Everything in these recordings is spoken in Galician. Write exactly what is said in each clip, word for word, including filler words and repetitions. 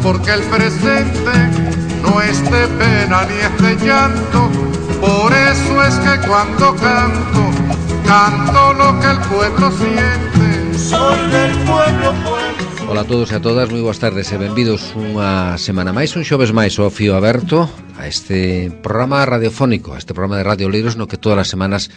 porque el presente no es de pena ni es de llanto. Por eso es que cuando canto, canto lo que el pueblo siente. Soy del pueblo, pueblo. Ola a todos e a todas, moi boas tardes e benvidos unha semana máis, un xoves máis ao fío aberto a este programa radiofónico, a este programa de Radio Oleiros no que todas as semanas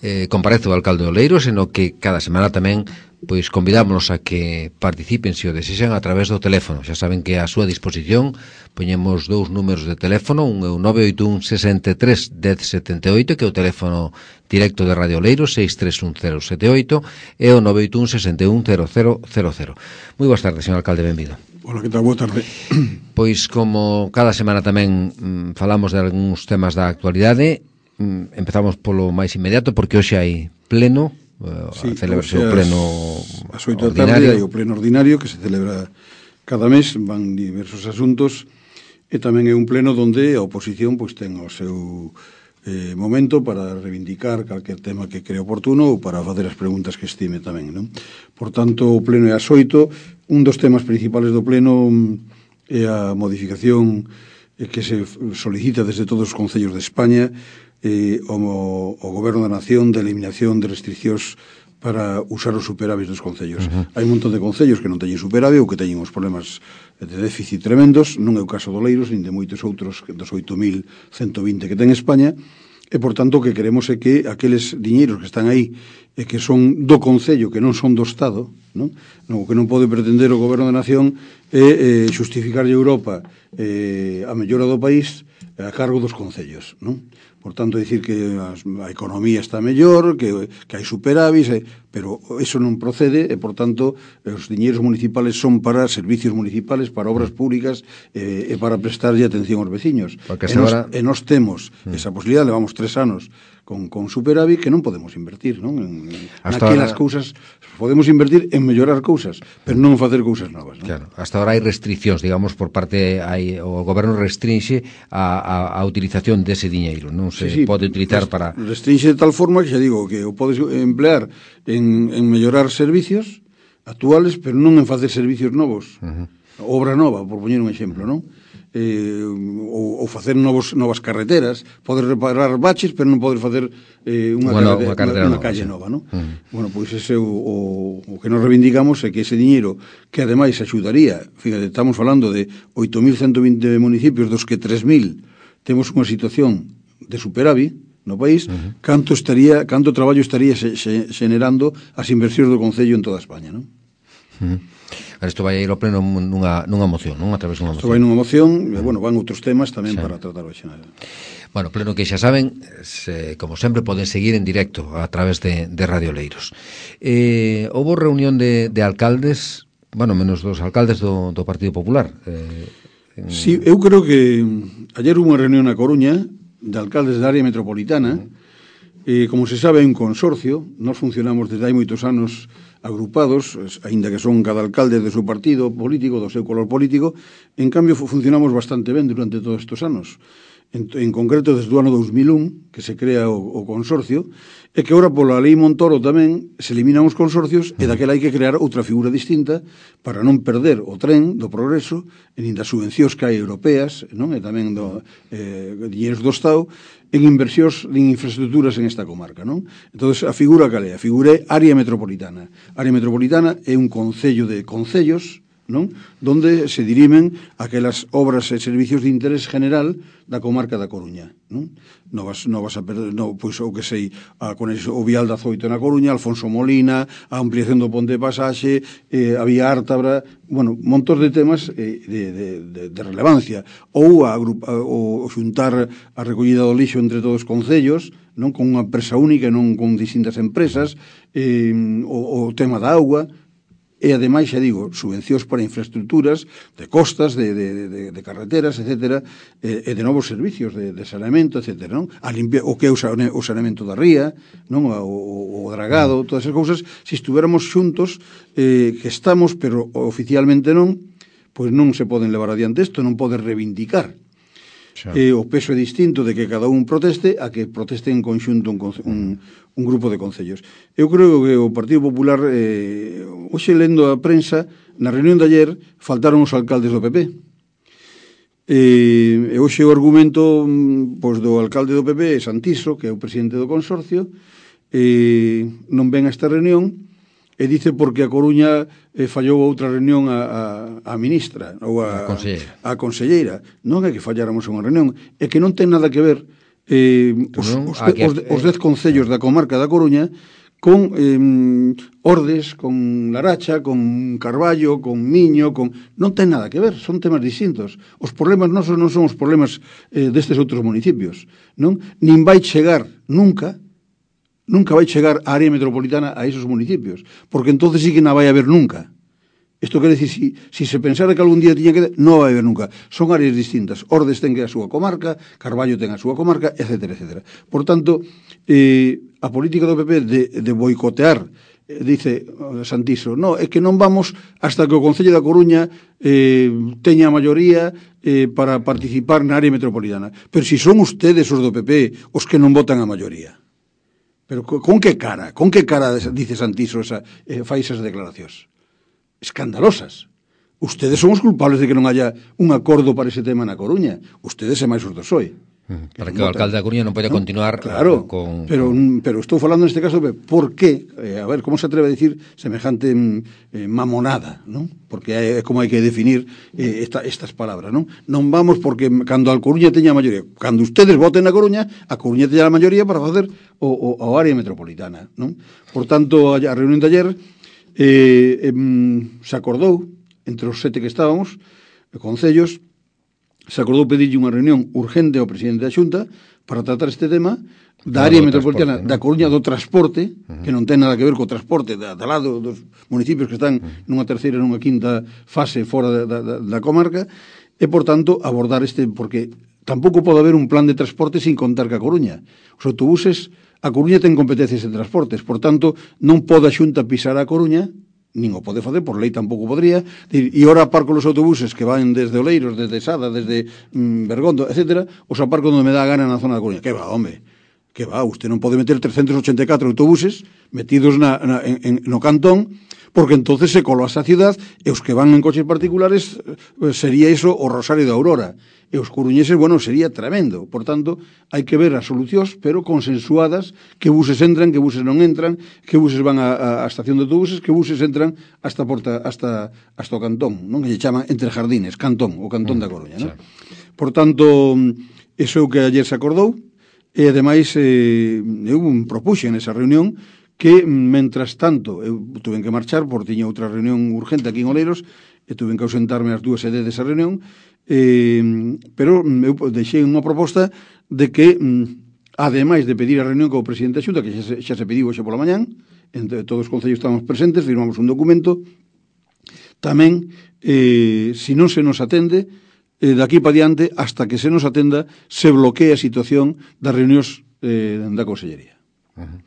eh, comparece o alcalde de Oleiros e no que cada semana tamén pois convidámonos a que participen se o desexan a través do teléfono. Xa saben que a súa disposición poñemos dous números de teléfono, un é o nove oito un sesenta e tres dez setenta e oito, que é o teléfono directo de Radio Oleiros, seis tres un cero sete oito, e o nove oito un sesenta e un cero cero cero cero. Moi boas tardes, señor alcalde, benvido. Hola, que tal? Boa tarde. Pois como cada semana tamén mm, falamos de algúns temas da actualidade, mm, empezamos polo máis inmediato porque hoxe hai pleno. Sí, a celebración o pleno as oito da tarde hai o pleno ordinario que se celebra cada mes, van diversos asuntos e tamén é un pleno onde a oposición pois ten o seu eh, momento para reivindicar calquer tema que cree oportuno ou para facer as preguntas que estime tamén, non? Por tanto, o pleno é ás oito. Un dos temas principales do pleno é a modificación que se solicita desde todos os concellos de España eh, o, o Goberno da Nación de eliminación de restriccións para usar os superávits dos concellos. Uh-huh. Hai un montón de concellos que non teñen superávit ou que teñen os problemas de déficit tremendos, non é o caso do Oleiros, nin de moitos outros dos oito mil ciento vinte que ten España, e, por tanto, o que queremos é que aqueles diñeiros que están aí e que son do concello, que non son do Estado, non? O que non pode pretender o Goberno da Nación é eh, xustificarlle a Europa eh, a mellora do país a cargo dos concellos, non? Por tanto, dicir que a economía está mellor, que, que hai superávit, eh, pero eso non procede e, por tanto, os diñeiros municipales son para servicios municipales, para obras públicas eh, e para prestarlle atención aos veciños. E nos, ahora... e nos temos mm. esa posibilidade, levamos tres anos con, con superávit que non podemos invertir, non? En, en naquelas ahora... cousas podemos invertir en mellorar cousas, pero non facer cousas novas, non? Claro, hasta ahora hai restriccións, digamos, por parte hai, o goberno restrinxe a, a, a utilización dese diñeiro, non se sí, sí, pode utilizar para... Restrinxe de tal forma que xa digo que o podes emplear en, en mellorar servicios actuales, pero non en facer servicios novos. Uh-huh. Obra nova, por poñer un exemplo, non? Eh, ou, ou facer novos, novas carreteras, poder reparar baches, pero non poder facer eh, unha, bueno, carretera, unha, carretera unha, unha nova, calle sí. nova, non? Uh-huh. Bueno, pois ese o, o, o que nos reivindicamos é que ese diñeiro, que ademais axudaría, fíjate, estamos falando de oito mil ciento vinte municipios, dos que tres mil temos unha situación de superávit no país, uh-huh. canto estaría, canto traballo estaría se, se, generando as inversións do concello en toda España, non? Uh-huh. Isto vai a ir ao pleno nunha, nunha moción, non? A través dunha moción. Isto vai nunha moción, e, bueno, van outros temas tamén sí. para tratar hoxe. Bueno, pleno que xa saben, se, como sempre, poden seguir en directo a través de, de Radio Oleiros. Eh, houve reunión de, de alcaldes, bueno, menos dos alcaldes do, do Partido Popular. Eh, en... Sí, eu creo que ayer hubo unha reunión na Coruña de alcaldes da área metropolitana. Uh-huh. eh, como se sabe, hai un consorcio, nós funcionamos desde hai moitos anos agrupados, aínda que son cada alcalde do seu partido político, do seu color político, en cambio funcionamos bastante ben durante todos estes anos. En, en concreto, desde o ano dos mil un, que se crea o, o consorcio, e que ora pola lei Montoro tamén se eliminan os consorcios e daquela hai que crear outra figura distinta para non perder o tren do progreso e nin das subvencións que hai europeas, non? E tamén do eh, diñeiros do Estado en inversións en infraestructuras en esta comarca, non? Entón, a figura cal é? A figura é área metropolitana. A área metropolitana é un concello de concellos, non? Donde se dirimen aquelas obras e servicios de interés general da comarca da Coruña, non? Novas, novas a perder, no, pois o que sei, a conexión o vial da Zoito na Coruña, Alfonso Molina, a ampliación do Ponte de Pasaxe, eh, a vía Ártabra, bueno, montos de temas eh, de, de, de, de relevancia, ou a, a, o, o xuntar a recollida do lixo entre todos os concellos, non con unha empresa única, non con distintas empresas, eh, o, o tema da auga. E, ademais, xa digo, subvencións para infraestructuras de costas, de, de, de, de carreteras, etcétera, e, e de novos servicios de, de saneamento, etcétera, non? A limpia, o que é o saneamento da ría, non? O, o, o dragado, todas esas cousas, se estuviéramos xuntos, eh, que estamos, pero oficialmente non, pois non se poden levar adiante isto, non pode reivindicar. Eh, o peso é distinto de que cada un proteste a que proteste en conxunto un, un, un grupo de concellos. Eu creo que o Partido Popular, eh, hoxe lendo a prensa, na reunión de ayer faltaron os alcaldes do P P. E, e hoxe o argumento pois, do alcalde do P P, Santiso, que é o presidente do consorcio, e non ven a esta reunión e dice porque a Coruña eh, fallou outra reunión a, a, a ministra ou a, a, conselleira. a conselleira. Non é que falláramos unha reunión, é que non ten nada que ver eh, os, non, os, de, os, os dez concellos da comarca da Coruña con eh, Ordes, con Laracha, con Carballo, con Miño, con... non ten nada que ver, son temas distintos. Os problemas non son, non son os problemas eh, destes outros municipios, non? Nin vai chegar nunca, nunca vai chegar a área metropolitana a esos municipios, porque entonces sí que non vai haber nunca. Isto quere dicir, si, si se pensara que algún día tiña que... non vai haber nunca. Son áreas distintas. Ordes ten que a súa comarca, Carballo ten a súa comarca, etcétera, etcétera. Por tanto, eh, a política do P P de, de boicotear, eh, dice Santiso, no, é que non vamos hasta que o Concello da Coruña eh, teña a maioría eh, para participar na área metropolitana. Pero si son ustedes os do P P os que non votan a maioría. Pero con que cara? Con que cara dice Santiso esa, eh, fai esas declaracións? Escandalosas. Ustedes son os culpables de que non haya un acordo para ese tema na Coruña. Ustedes é máis os do P S O E. Mm, para que o alcalde da Coruña non poida ¿no? continuar claro, con... pero, pero estou falando neste caso de por qué, eh, a ver, como se atreve a decir semejante eh, mamonada, non? Porque é, é como hai que definir eh, esta, estas palabras, non? Non vamos porque cando a Coruña teña a maioría, cando ustedes voten na Coruña, a Coruña teña a maioría para facer o, o, o área metropolitana, non? Por tanto, a, a reunión de ayer Eh, eh, se acordou entre os sete que estábamos concellos, se acordou pedirlle unha reunión urgente ao presidente da Xunta para tratar este tema da área metropolitana da Coruña, do transporte, uh-huh. que non ten nada que ver co transporte da, da lado dos municipios que están uh-huh. nunha terceira e nunha quinta fase fora da, da, da comarca, e por tanto abordar este, porque tampouco pode haber un plan de transporte sin contar ca Coruña. Os autobuses, a Coruña ten competencias en transportes, por tanto, non pode a Xunta pisar a Coruña, nin o pode facer, por lei tampouco podría, e ora aparco os autobuses que van desde Oleiros, desde Sada, desde mm, Bergondo, etcétera, os aparco onde me dá a gana na zona da Coruña. Que va, home, que va, usted non pode meter trescentos ochenta e catro autobuses metidos na, na, en, en, no cantón, porque entonces se colapsa a cidade, e os que van en coches particulares eh, sería iso o Rosario de Aurora. E os coruñeses, bueno, sería tremendo. Por tanto, hai que ver as solucións, pero consensuadas, que buses entran, que buses non entran, que buses van á, á estación de autobuses, que buses entran hasta porta, hasta, hasta o cantón, non? Que lle chama Entre Jardines, cantón, o cantón da Coruña, non? Por tanto, iso é o que ayer se acordou, e ademais eh, eu propuxen nesa reunión que, mentras tanto, eu tuve que marchar, porque tiña outra reunión urgente aquí en Oleiros, e tuve que ausentarme as dúas sedes desa reunión, eh, pero eu deixei unha proposta de que, ademais de pedir a reunión co presidente da Xunta, que xa se, xa se pediu hoxe pola mañán, entre todos os concellos estamos presentes, firmamos un documento, tamén, eh, se non se nos atende, eh, daqui para diante, hasta que se nos atenda, se bloquea a situación das reunións eh, da Consellería. Uh-huh.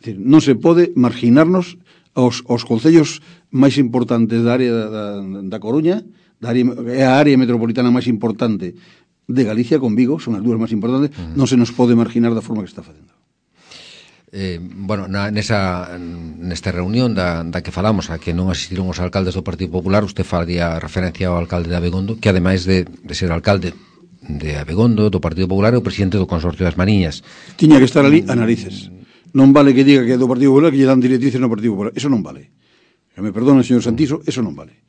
É dicir, non se pode marginarnos aos, aos concellos máis importantes da área da, da, da Coruña, da área, é a área metropolitana máis importante de Galicia con Vigo, son as dúas máis importantes, uh-huh. non se nos pode marginar da forma que está facendo. Eh, bueno, na, nesa, nesta reunión da, da que falamos, a que non asistiron os alcaldes do Partido Popular, usted faría referencia ao alcalde de Abegondo, que ademais de, de ser alcalde de Abegondo, do Partido Popular, é o presidente do Consorcio das Mariñas. Tiña que estar ali a narices. Non vale que diga que é do Partido Popular, que lle dan directrices no Partido Popular. Eso non vale. Que me perdone, señor Santiso, eso non vale.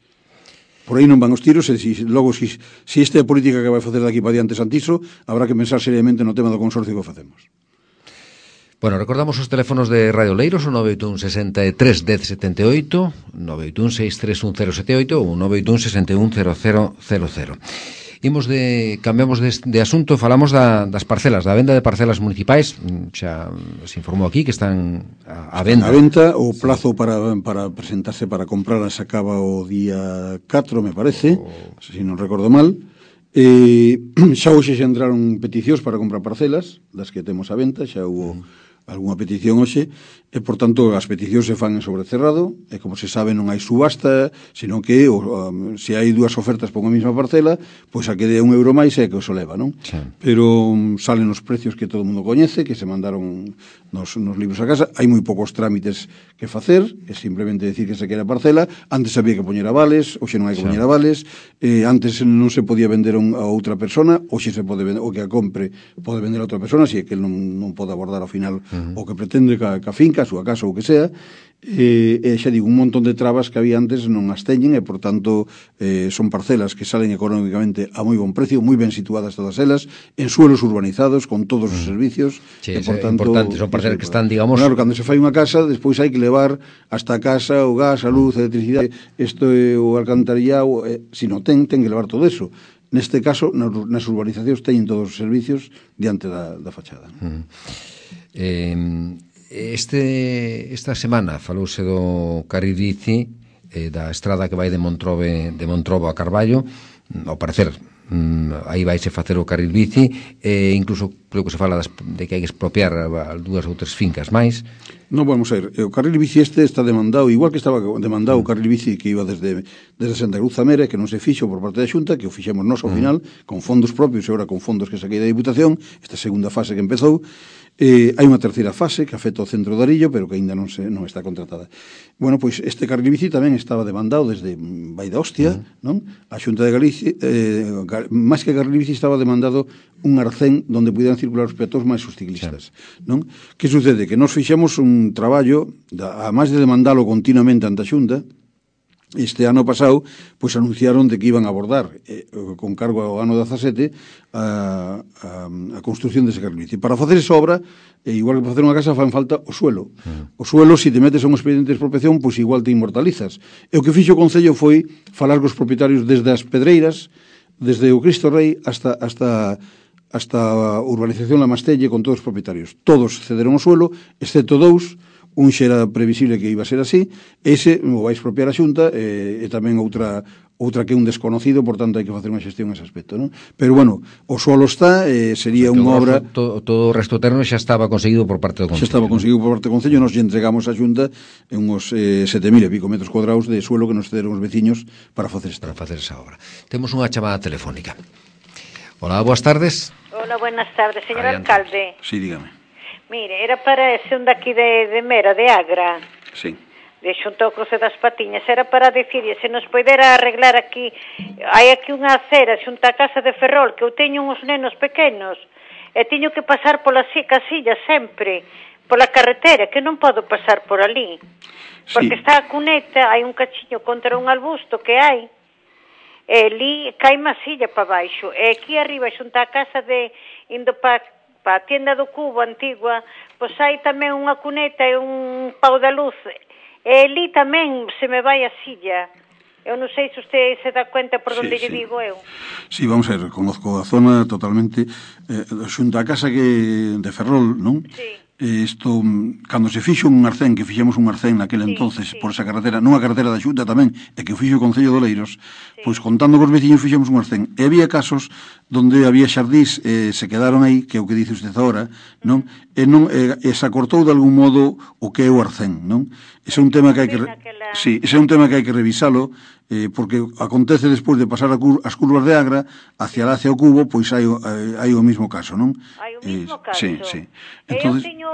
Por aí non van os tiros, e si, logo, se si, si esta é a política que vai facer daqui para diante Santiso, habrá que pensar seriamente no tema do consorcio que facemos. Bueno, recordamos os teléfonos de Radio Oleiros, o nove oito un, sesenta e tres, dez, setenta e oito, nove oito un, seis tres un, cero sete oito ou nove oito un, sesenta e un, cero cero cero cero. Imos de, cambiamos de, de asunto, falamos da, das parcelas, da venda de parcelas municipais, xa se informou aquí que están a, a venda. A venta, o plazo para, para presentarse para comprarlas acaba o día catro, me parece, o... se non recordo mal. Eh, xa hoxe xa entraron peticións para comprar parcelas, das que temos a venta, xa hubo mm. algunha petición hoxe, e, por tanto, as peticións se fan en sobrecerrado, e, como se sabe, non hai subasta, senón que, o, um, se hai dúas ofertas por unha mesma parcela, pois a que dé un euro máis é que os leva, non? Sí. Pero um, salen os precios que todo o mundo coñece, que se mandaron nos, nos libros a casa, hai moi poucos trámites que facer, é simplemente decir que se quere a parcela, antes había que poñer avales, hoxe non hai que sí. poñer avales, eh, antes non se podía vender a outra persona, hoxe se pode vender, o que a compre pode vender a outra persona, se é que non, non pode abordar ao final uh-huh. o que pretende ca, ca finca, a súa casa ou o que sea, e, e xa digo, un montón de trabas que había antes non as teñen e, por tanto, eh, son parcelas que salen económicamente a moi bon precio, moi ben situadas todas elas, en suelos urbanizados, con todos os servicios. Sí, e, por tanto, importante, son parcelas que están, digamos... Claro, cando se fai unha casa, despois hai que levar hasta a casa o gas, a luz, a electricidade, isto é o alcantarillado, eh, se non ten, ten que levar todo eso. Neste caso, nas urbanizacións teñen todos os servicios diante da, da fachada. Mm. Eh, este, esta semana falouse do carril bici, eh, da estrada que vai de Montrobe, de Montrobo a Carballo, ao parecer mm, aí vaise facer o carril bici, e incluso creo que se fala das, de que hai que expropiar dúas ou tres fincas máis. Non, vamos a ver, o carril bici este está demandado, igual que estaba demandado o carril bici que iba desde, desde Santa Cruz a Mera, que non se fixo por parte da Xunta, que o fixemos nós ao final, con fondos propios e agora con fondos que saquei da Diputación, esta segunda fase que empezou. Eh, hai unha terceira fase que afecta ao centro de Arillo, pero que aínda non se non está contratada. Bueno, pois este carril bici tamén estaba demandado desde Vai da Hostia, uh-huh. non? A Xunta de Galicia, eh, máis que carril bici estaba demandado un arcén onde pudieran circular os peatóns máis os ciclistas, sí. non? Que sucede? Que nós fixemos un traballo, a máis de demandalo continuamente ante a Xunta, este ano pasado, pois anunciaron de que iban a abordar, eh, con cargo ao ano dezasete, a, a, a construción dese carril bici. Para facer esa obra, eh, igual que para facer unha casa, fan falta o suelo. Mm. O suelo, se te metes a un expediente de expropiación, pois igual te inmortalizas. E o que fixo o Concello foi falar cos propietarios desde as Pedreiras, desde o Cristo Rei, hasta... hasta hasta a urbanización La Mastelle, con todos os propietarios. Todos cederon o suelo, excepto dous, un xa era previsible que iba a ser así, ese o vai expropiar a Xunta, e, e tamén outra outra que é un desconocido, por tanto hai que facer unha xestión nese aspecto, non? Pero bueno, o suelo está, eh, sería unha obra... Todo, todo o resto terreno xa estaba conseguido por parte do Concello. Xa estaba conseguido por parte do Concello, nos entregamos a Xunta en uns eh, sete mil e pico metros cuadrados de suelo que nos cederon os veciños para facer esta, para facer esa obra. Temos unha chamada telefónica. Hola, boas tardes. Hola, buenas tardes, señor Adiante. Alcalde. Sí, dígame. Mire, era para ese un daqui de, de Mera, de Agra. Sí. De xunto ao cruce das Patiñas. Era para decirle, se nos poidera arreglar aquí, hai aquí unha acera xunto a casa de Ferrol, que eu teño uns nenos pequenos, e teño que pasar pola casilla sempre, pola carretera, que non podo pasar por ali. Porque sí. Está a cuneta, hai un cachiño contra un arbusto que hai, e ali cai masilla para baixo, e aquí arriba xunto a casa de indo para pa a tienda do Cubo antigua, pois hai tamén unha cuneta e un pau da luz, e ali tamén se me vai a silla. Eu non sei se usted se dá cuenta por onde sí, lle sí. digo eu. Sí, vamos a ver, conozco a zona totalmente, eh, xunto a casa que de Ferrol, non? Sí. Isto, cando se fixo un arcén, que fixemos un arcén naquele sí, entonces sí. por esa carretera, nunha carretera da Xunta tamén, e que fixo o Concello de Oleiros, sí. pois contando cos veciños fixemos un arcén. E había casos donde había xardís, eh, se quedaron aí, que é o que dice usted agora, non? E non e, e se acortou de algún modo o que é o arcén, non? Ese é un tema que hai que re... sí, ese é un tema que hai que revisalo, eh, porque acontece despois de pasar a cur... as curvas de Agra hacia lá, hacia o Cubo, pois hai, hai, hai o mismo caso, non? Hai o mismo caso. Sí, sí. Entonces... Eu teño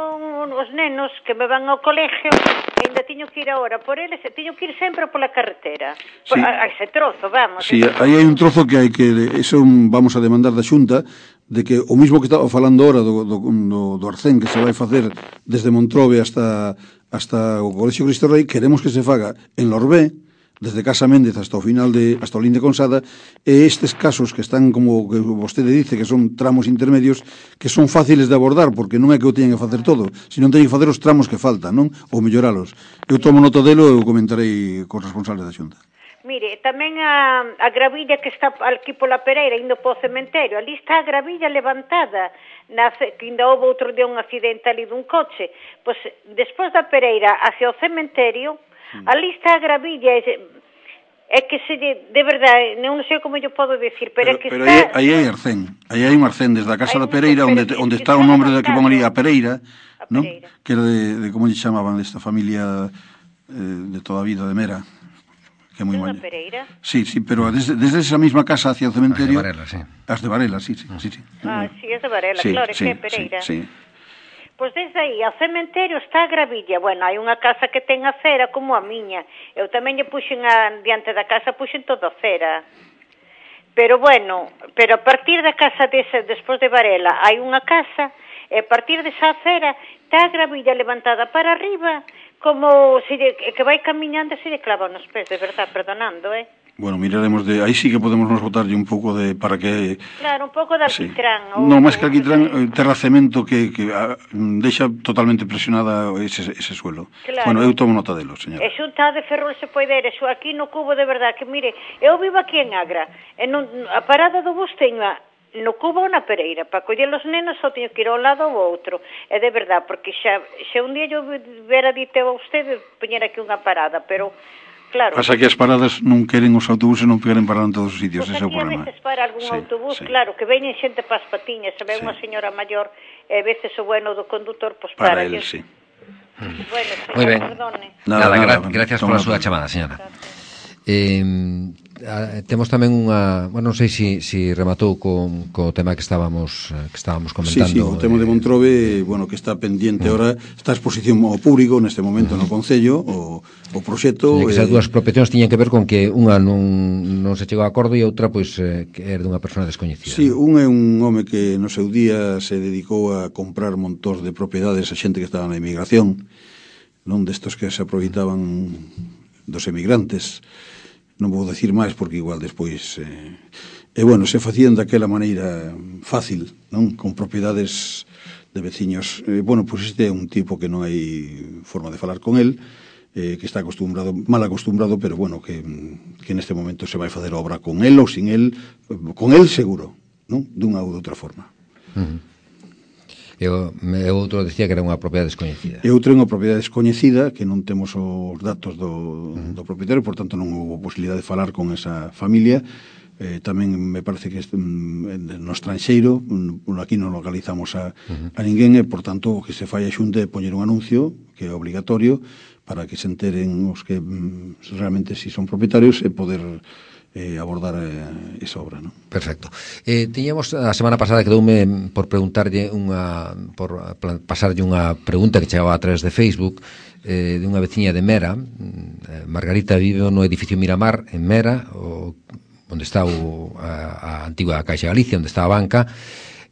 os nenos que me van ao colegio e ainda teño que ir agora por eles, e teño que ir sempre pola carretera. Sí. A, a ese trozo, vamos. Sí, aí hai un trozo que hai que... Eso vamos a demandar da Xunta, de que o mismo que estaba falando ahora do, do, do, do arcén que se vai facer desde Montrobe hasta, hasta o Colexio Cristo Rei, queremos que se faga en Lorbé, desde Casa Méndez hasta o final de hasta o Linde Consada, e estes casos que están, como que vostede dice, que son tramos intermedios, que son fáciles de abordar, porque non é que o teñen que facer todo, sino teñen que facer os tramos que faltan, non? Ou melloralos. Eu tomo nota delo e o comentarei cos responsables da Xunta. Mire, tamén a, a gravilla que está aquí pola Pereira, indo po cementerio, ali está a gravilla levantada, na, que ainda houve outro día un accidente ali dun coche. Pois, despois da Pereira, hacia o cementerio, mm. ali está a gravilla, é, é que se, de, de verdade, non sei como eu podo decir, pero, pero é que pero está... Pero aí hai arcén, aí hai un arcén desde a casa da Pereira, onde, onde está o nombre da que pon ali, a Pereira, ¿no? Que era de, de como lle chamaban, desta familia eh, de toda a vida de Mera. Que é moi Unha maña. Pereira? Sí, sí, pero desde, desde esa mesma casa hacia o cementerio... As de Varela, sí. As de Varela, sí, sí, sí, sí. Ah, sí, es de Varela, sí, claro, sí, que é Pereira. Sí, sí. Pois desde aí ao cementerio está a gravilla. Bueno, hai unha casa que ten a cera como a miña. Eu tamén lle puxen a, diante da casa, puxen toda a cera. Pero bueno, pero a partir da casa desa, despois de Varela, hai unha casa, e a partir desa cera está a gravilla levantada para arriba, como se lle, que vai camiñando e se lle clava nos pés, de verdad, perdonando, eh? Bueno, miraremos de... Aí sí que podemos nos botarlle un pouco de... para que... Claro, un pouco de alquitrán. Sí. No, máis que alquitrán, eh, terracemento que, que a, deixa totalmente presionada ese, ese suelo. Claro. Bueno, eu tomo nota delo, señora. E xunta de Ferrol se pode ir, eso aquí no cubo de verdad, que mire, eu vivo aquí en Agra, e non, a parada do bus teño a, no cubo na Pereira, para coller os nenos só teño que ir ao lado ou outro, é de verdad, porque xa, xa un día eu vera dite a usted poñer aquí unha parada, pero... Claro. Pasa que as paradas non queren os autobuses, non queren parar en todos os sitios, pues ese é o problema. Pois aquí a veces para algún sí, autobús, sí. Claro, que veñen xente pas patiñas, se ve sí. unha señora maior, e a veces o bueno do condutor, pois para para él, ellos. sí. Bueno, señor, Muy ben. Perdone. Nada, nada, gra nada gracias pola súa chamada, señora. Eh, a, temos tamén unha, bueno, non sei se si, si rematou con co tema que estábamos que estábamos comentando. Sí, sí, o tema de Montrobe, bueno, que está pendiente ahora, está a exposición ao público neste momento no Concello, o, o proxecto. Que esas eh, dúas proposicións tiñan que ver con que unha non, non se chegou a acordo e outra, pois, eh, que era dunha persona descoñecida. Sí, un é un home que no seu día se dedicou a comprar montós de propiedades a xente que estaba na emigración, non destos que se aproveitaban dos emigrantes. Non vou decir máis porque igual despois eh, e bueno, se facían daquela maneira fácil, non? Con propiedades de veciños. Eh, bueno, pois este é un tipo que non hai forma de falar con el, eh, que está acostumbrado, mal acostumbrado, pero bueno, que, que neste momento se vai facer obra con el ou sin el, con el seguro, non? Dunha ou de outra forma. Uh -huh. E o, e outro decía que era unha propiedade descoñecida. E outro é unha propiedade descoñecida, que non temos os datos do, uh-huh. do propietario, por tanto non houve posibilidade de falar con esa familia. Eh, tamén me parece que este, no estranxeiro, aquí non localizamos a, uh-huh. a ninguén, e por tanto o que se fai a xunta é poñer un anuncio, que é obligatorio, para que se enteren os que realmente si son propietarios e poder... Eh, abordar eh, esa obra, ¿no? Perfecto. Eh, tiñamos a semana pasada quedoume por preguntarlle unha por pasarlle unha pregunta que chegaba a través de Facebook eh, de unha veciña de Mera. eh, Margarita vive no edificio Miramar en Mera, o, onde está o, a, a antigua Caixa Galicia, onde está a banca.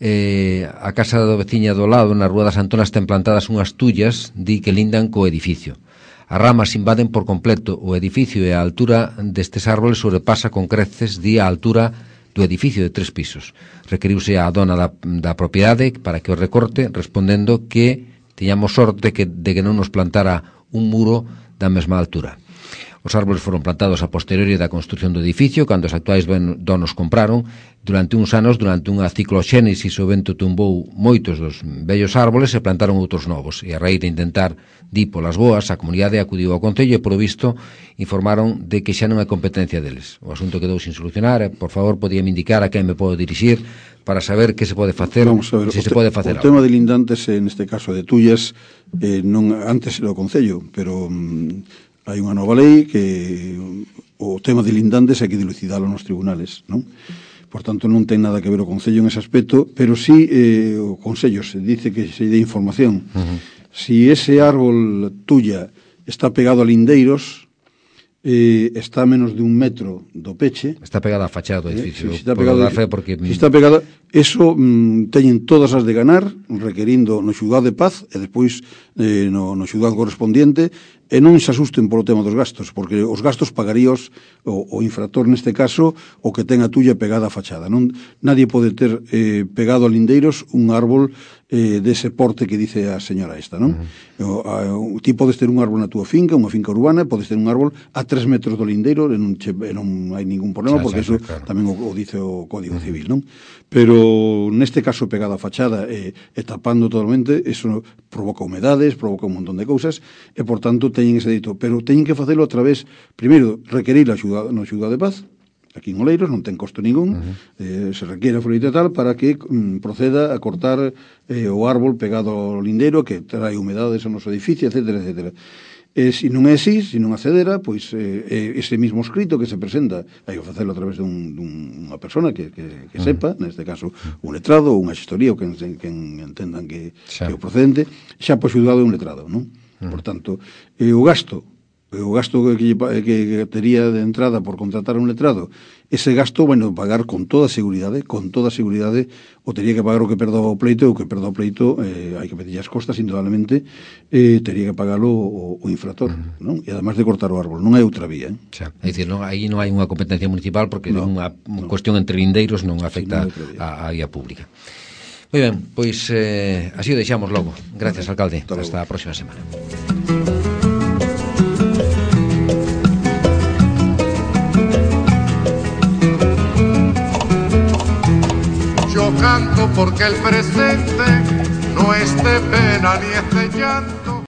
Eh, a casa do veciña do lado, na Rúa das Antonas, ten plantadas unhas tullas, di que lindan co edificio. As ramas invaden por completo o edificio e a altura destes árboles sobrepasa con creces di a altura do edificio de tres pisos. Requeriuse a dona da, da propiedade para que o recorte, respondendo que tiñamos sorte que, de que non nos plantara un muro da mesma altura. Os árboles foron plantados a posteriori da construción do edificio, cando os actuais donos compraron. Durante uns anos, durante unha cicloxénesis, o vento tumbou moitos dos vellos árboles e plantaron outros novos. E a raíz de intentar di polas boas, a comunidade acudiu ao Concello e, por visto, informaron de que xa non é competencia deles. O asunto quedou sin solucionar. E, por favor, podíame indicar a quen me podo dirixir para saber que se pode facer, ver, se se te, pode facer o tema de lindantes, en este caso de tullas, eh, non antes era o Concello, pero... Mm, hai unha nova lei que o tema de lindantes hai que dilucidalo nos tribunales, non? Por tanto, non ten nada que ver o Concello en ese aspecto, pero sí eh, o Concello se dice que se dé información. Uh-huh. Si ese árbol tuya está pegado a lindeiros, eh, está a menos de un metro do peche... Está pegada a fachada do edificio. Eh, si está pegado, fe porque... si está pegada, eso mm, teñen todas as de ganar, requerindo no xulgado de paz e despois eh, no, no xulgado correspondiente, e non se asusten polo tema dos gastos, porque os gastos pagaríos o, o infractor neste caso o que ten a tuya pegada a fachada. Non, nadie pode ter eh, pegado a lindeiros un árbol eh, dese porte que dice a señora esta, non? Uh-huh. o, a, o, ti podes ter un árbol na túa finca, unha finca urbana, podes ter un árbol a tres metros do lindeiro e non, che, e non hai ningún problema, xa, porque xa, iso claro. Tamén o, o dice o Código uh-huh. Civil, non? Pero neste caso pegada a fachada e, e tapando totalmente, eso provoca humedades, provoca un montón de cousas e, por tanto, teñen ese dito, pero teñen que facelo a través, primeiro, requerir a xuda, no xulgado de paz, aquí en Oleiros, non ten costo ningún, uh-huh. eh, se requiere a folleto tal para que mm, proceda a cortar eh, o árbol pegado ao lindero que trae humedades ao noso edificio, etcétera, etcétera. E se non é así, se non accedera, pois eh, ese mismo escrito que se presenta, hai que facelo a través de un, dunha persona que, que, que sepa, uh-huh. neste caso un letrado ou unha xestoría, ou que, que entendan que, que é o procedente, xa pois xudgado un letrado, non? Uh-huh. Por tanto, eh, o gasto o gasto que, que, que tería de entrada por contratar un letrado, ese gasto, bueno, pagar con toda seguridade, con toda seguridade, o tería que pagar o que perda o pleito, e o que perda o pleito, eh, hai que pedir as costas, indudablemente, eh, tería que pagalo o, o infractor, uh-huh. non? E además de cortar o árbol, non hai outra vía, eh? Xa, é dicir, non, aí non hai unha competencia municipal, porque no, unha no. cuestión entre lindeiros non afecta sí, non a, a vía pública. Moi ben, pois eh, así o deixamos logo. Gracias, alcalde. Hasta, Hasta a próxima semana. Yo canto porque el presente no es de pena ni es de llanto.